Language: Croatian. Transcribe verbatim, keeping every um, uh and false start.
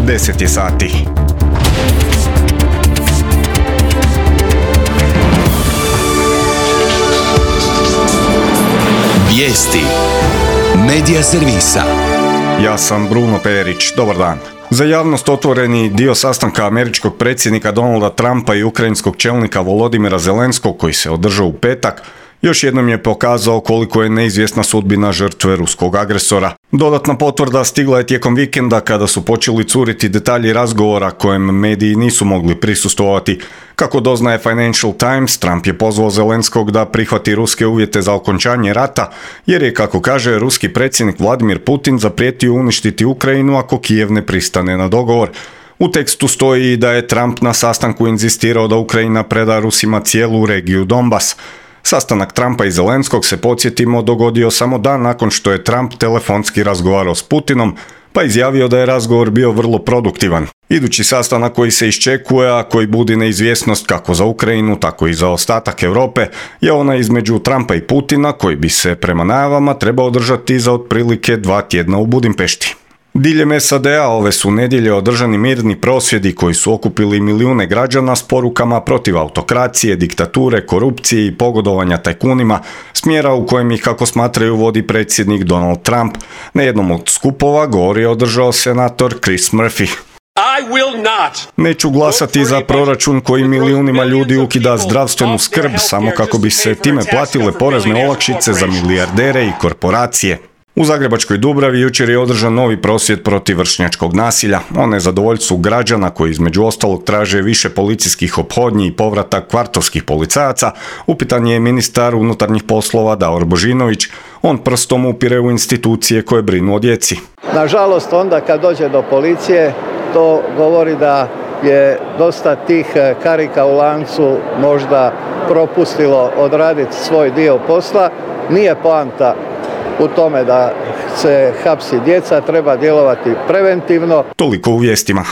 deset je sati. Vijesti Medija servisa. Ja sam Bruno Perić, dobar dan. Za javnost otvoreni dio sastanka američkog predsjednika Donalda Trumpa i ukrajinskog čelnika Volodimira Zelenskog koji se održao u petak, još jednom je pokazao koliko je neizvjesna sudbina žrtve ruskog agresora. Dodatna potvrda stigla je tijekom vikenda kada su počeli curiti detalji razgovora kojem mediji nisu mogli prisustvovati. Kako doznaje Financial Times, Trump je pozvao Zelenskog da prihvati ruske uvjete za okončanje rata, jer je, kako kaže, ruski predsjednik Vladimir Putin zaprijetio uništiti Ukrajinu ako Kijev ne pristane na dogovor. U tekstu stoji i da je Trump na sastanku inzistirao da Ukrajina preda Rusima cijelu regiju Donbas. Sastanak Trumpa i Zelenskog, se podsjetimo, dogodio samo dan nakon što je Trump telefonski razgovarao s Putinom, pa izjavio da je razgovor bio vrlo produktivan. Idući sastanak koji se iščekuje, a koji budi neizvjesnost kako za Ukrajinu, tako i za ostatak Europe, je onaj između Trumpa i Putina, koji bi se prema najavama trebao održati za otprilike dva tjedna u Budimpešti. Diljem S A D A ove su nedjelje održani mirni prosvjedi koji su okupili milijune građana s porukama protiv autokracije, diktature, korupcije i pogodovanja tajkunima, smjera u kojem ih, kako smatraju, vodi predsjednik Donald Trump. Na jednom od skupova govor je održao senator Chris Murphy. I will not. Neću glasati za proračun koji milijunima ljudi ukida zdravstvenu skrb samo kako bi se time platile porezne olakšice za milijardere i korporacije. U Zagrebačkoj Dubravi jučer je održan novi prosvjed protiv vršnjačkog nasilja. O nezadovoljstvu građana koji između ostalog traže više policijskih ophodnji i povratak kvartovskih policajaca, upitan je ministar unutarnjih poslova Davor Božinović. On prstom upire u institucije koje brinu o djeci. Nažalost, onda kad dođe do policije, to govori da je dosta tih karika u lancu možda propustilo odraditi svoj dio posla. Nije poanta u tome da se hapsi djeca, treba djelovati preventivno. Toliko u vijestima.